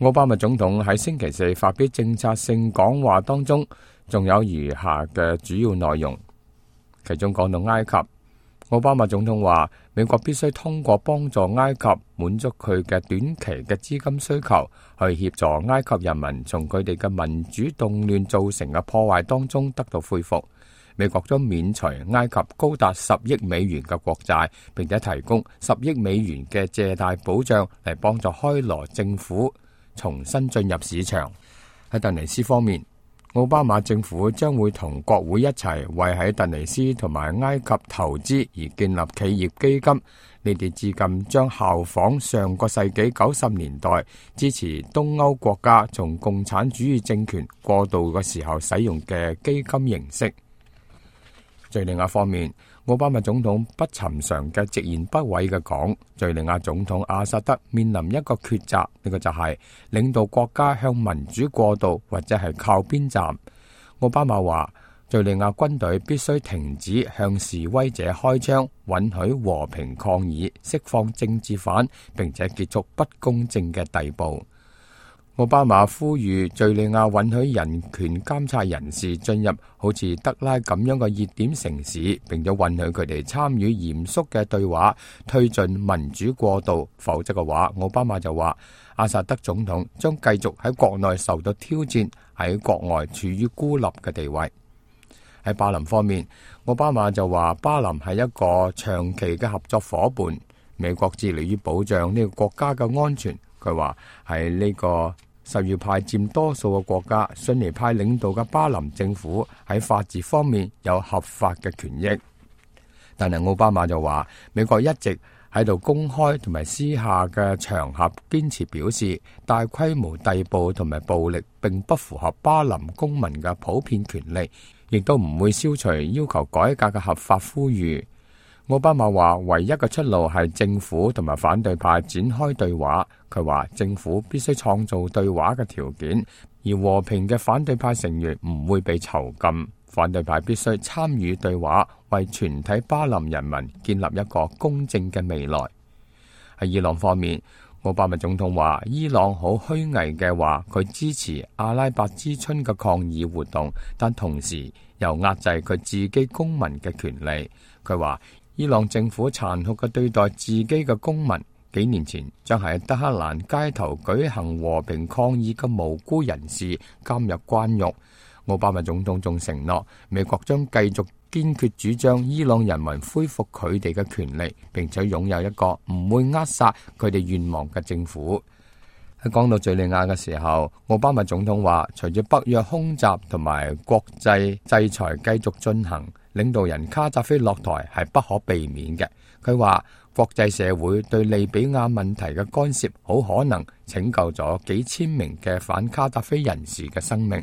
奧巴馬總統喺星期四發表政策性講話當中，仲有餘下嘅主要內容，其中講到埃及。奧巴馬總統話，美國必須通過幫助埃及滿足佢嘅短期嘅資金需求，去協助埃及人民從佢哋嘅民主動亂造成嘅破壞當中得到恢復。美國將免除埃及高達10億美元嘅國債，並且提供10億美元嘅借貸保障嚟幫助開羅政府重新進入市場。喺突尼斯方面，奧巴馬政府將會同國會一齊為喺突尼斯同埋埃及投資而建立企業基金。呢啲資金將效仿上個世紀90年代支持東歐國家從共產主義政權過渡嘅時候使用嘅基金形式。敘利亞方面，奧巴馬總統不尋常嘅直言不諱嘅講，敘利亞總統阿薩德面臨一個抉擇，呢個就係領導國家向民主過渡，或者係靠邊站。奧巴馬話，敘利亞軍隊必須停止向示威者開槍，允許和平抗議，釋放政治犯，並且結束不公正嘅逮捕。奧巴馬呼籲敘利亞允許人權監察人士進入好似德拉咁樣嘅熱點城市，並且允許佢哋參與嚴肅嘅對話，推進民主過渡。否則嘅話，奧巴馬就話阿薩德總統將繼續喺國內受到挑戰，喺國外處於孤立嘅地位。喺巴林方面，奧巴馬就話巴林係一個長期嘅合作伙伴，美國致力於保障呢個國家嘅安全。佢話喺呢個什葉派佔多數嘅國家，遜尼派領導嘅巴林政府喺法治方面有合法嘅權益。但係奧巴馬就話，美國一直喺度公開同埋私下嘅場合堅持表示，大規模逮捕同埋暴力並不符合巴林公民嘅普遍權利，亦都唔會消除要求改革嘅合法呼籲。奧巴馬話，唯一嘅出路係政府同埋反對派展開對話。佢話政府必須創造對話嘅條件，而和平嘅反對派成員唔會被囚禁。反對派必須參與對話，為全體巴林人民建立一個公正嘅未來。喺伊朗方面，奧巴馬總統話，伊朗好虛偽嘅話佢支持阿拉伯之春嘅抗議活動，但同時又壓制佢自己公民嘅權利。佢話伊朗政府殘酷嘅對待自己嘅公民，幾年前將喺德黑蘭街頭舉行和平抗議嘅無辜人士監入關獄。奧巴馬總統仲承諾，美國將繼續堅決主張伊朗人民恢復佢哋嘅權利，並且擁有一個唔會扼殺佢哋願望嘅政府。喺講到敘利亞嘅時候，奧巴馬總統話，隨住北約空襲同埋國際制裁繼續進行，領導人卡扎菲落台係不可避免嘅。佢話國際社會對利比亞問題嘅干涉，好可能拯救咗幾千名嘅反卡扎菲人士嘅生命。